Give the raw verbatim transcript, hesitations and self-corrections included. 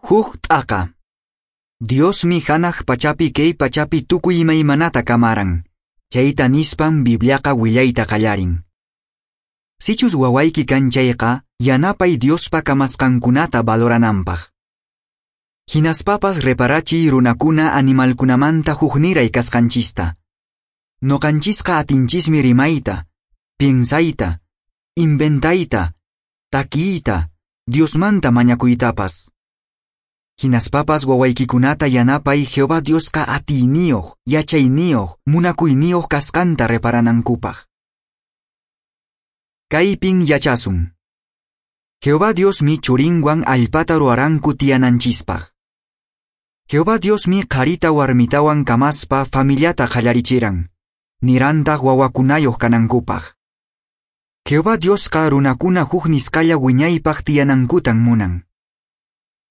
Huk t'aqa. Diosmi hanaq pachapi kay pachapi tukuy imaymanata kamaran. Chayta nispan Bibliaqa willayta qallarin. Sichus wawayki kan chayqa, yanapay Diospa kamasqankunata valorananpaq. Hinaspapas reparachiy runakuna animalkunamanta hukniray kasqanchista. Noqanchisqa atinchismi rimayta, piensayta, inventayta, takiyta, Diosmanta mañakuytapas. Hinaspapas wawaykikunata yanapay Jehová Diosqa atiyniyuq, yachayniyuq, munakuyniyuq kasqanta reparanankupaq. Kaypin yachasun. Jehová Diosmi churinwan allpata ruwaranku tiyananchispaq. Jehová Diosmi qharita warmitawan kamaspa familiata qallarichiran, nirantaq wawakunayuq kanankupaq. Jehová Diosqa runakuna huk nisqalla wiñaypaq tiyanankutan munan.